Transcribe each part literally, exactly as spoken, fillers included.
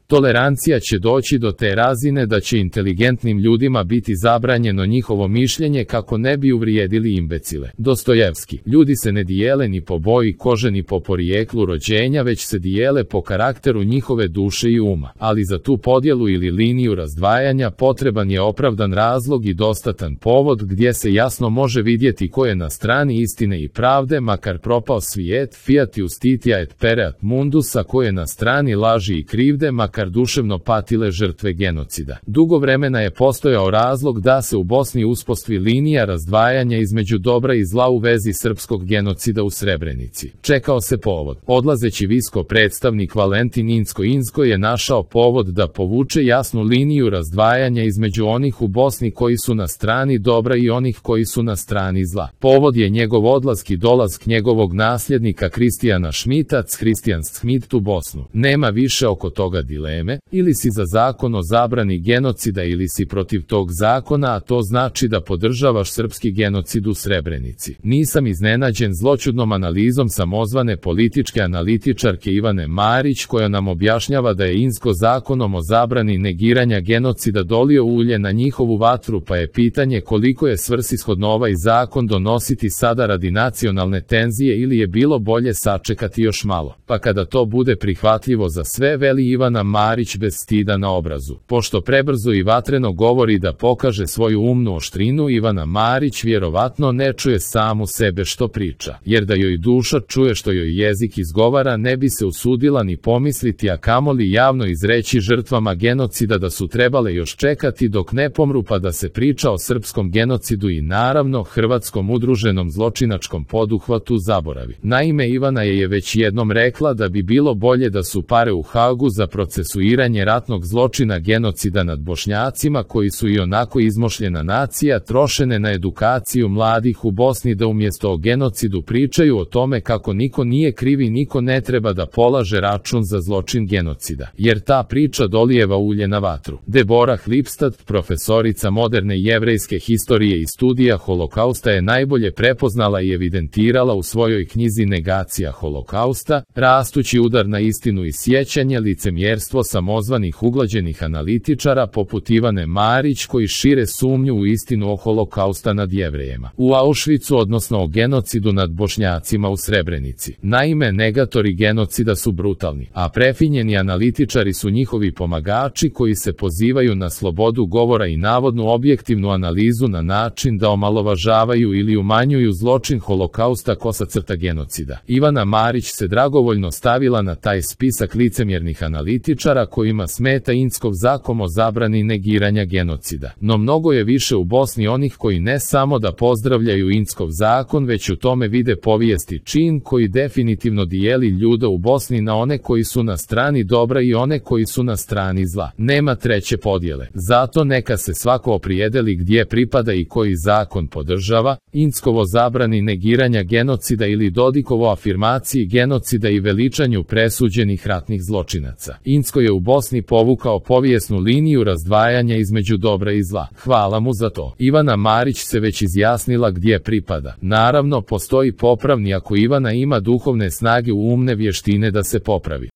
Tolerancija će doći do te razine da će inteligentnim ljudima biti zabranjeno njihovo mišljenje kako ne bi uvrijedili imbecile. Dostojevski. Ljudi se ne dijele ni po boji kože ni po porijeklu rođenja, već se dijele po karakteru njihove duše i uma. Ali za tu podjelu ili liniju razdvajanja potreban je opravdan razlog i dostatan povod gdje se jasno može vidjeti ko je na strani istine i pravde, makar propao svijet, fiat justitia et pereat mundus, a ko je na strani laži i krivde, makar duševno patile žrtve genocida. Dugo vremena je postojao razlog da se u Bosni uspostavi linija razdvajanja između dobra i zla u vezi srpskog genocida u Srebrenici. Čekao se povod. Odlazeći visko predstavnik Valentin Inzko-Inzko je našao povod da povuče jasnu liniju razdvajanja između onih u Bosni koji su na strani dobra i onih koji su na strani zla. Povod je njegov odlazak i dolazak njegovog nasljednika Kristijana Šmita, Kristijan Schmidt u Bosnu. Nema više oko toga dileme, ili si za zakon o zabrani genocida ili si protiv tog zakona, a to znači da podržavaš srpski genocid u Srebrenici. Nisam iznenađen zloćudnom analizom samozvane političke analitičarke Ivane Marić, koja nam objašnjava da je Inzko zakonom o zabrani negiranja genocida dolio ulje na njihovu vatru, pa je pitanje koliko je svrsishodno ovaj zakon donositi sada radi nacionalne tenzije ili je bilo bolje sačekati još malo. Pa kada to bude prihvatljivo za sve, veli Ivana Marić bez stida na obrazu. Pošto prebrzo i vatreno govori da pokaže svoju umnu oštrinu, Ivana Marić vjerovatno ne čuje samu sebe što priča, jer da joj duša čuje što joj jezik izgovara, ne bi se usudila ni pomisliti, a kamoli javno izreći žrtvama genocida da su trebale još čekati dok ne pomru pa da se priča o srpskom genocidu i naravno hrvatskom udruženom zločinačkom poduhvatu zaboravi. Naime, Ivana je, je već jednom rekla da bi bilo bolje da su pare u Hagu za procesuiranje ratnog zločina genocida nad Bošnjacima, koji su i onako izmošljena nacija, trošene na edukaciju mladih u Bosni, da umjesto o genocidu pričaju o tome kako niko nije kriv i niko ne treba da polaže račun za zločin genocida, jer ta priča dolijeva ulje na vatru. Deborah Lipstadt, profesorica moderne jevrejske historije i studija holokausta, je najbolje prepoznala i evidentirala u svojoj knjizi Negacija holokausta, rastući udar na istinu i sjećanje, licemjerstvo samozvanih uglađenih analitičara poput Ivane Marić, koji šire sumnju u istinu o holokausta nad Jevrejima u Auschwitzu, odnosno o genocidu nad Bošnjacima u Srebrenici. Naime, negatori genocida su brutalni, a prefinjeni analitičari su njihovi pomagači koji se pozivaju na slobodu govora i navodnu objektivnu analizu na način da omalovažavaju ili umanjuju zločin holokausta kosa crta genocida. Ivana Marić se dragovoljno stavila na taj spisak licemjernih analitičara kojima smeta Inzkov zakon o zabrani negiranja genocida. No mnogo je više u Bosni onih koji ne samo da pozdravljaju Inzkov zakon, već u tome vide povijesti čin koji definitivno dijeli ljude u Bosni na one koji su na strani dobra i one koji su na strani zla. Nema treće podjele. Zato neka se svako opredijeli gdje pripada i koji zakon podržava, Inzkovo zabrani negiranja genocida ili Dodikovo afirmaciji genocida i veličanju presuđenih ratnih zločinaca. Inzko je u Bosni povukao povijesnu liniju razdvajanja između dobra i zla. Hvala mu za to. Ivana Marić se već izjasnila gdje pripada. Naravno, postoji popravni ako Ivana ima duhovne snage u umne vještine da se popravi.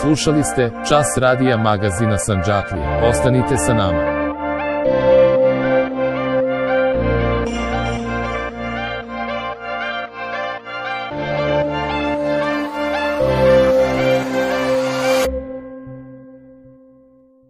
Slušali ste Čas radija magazina Sandžaklije. Ostanite sa nama.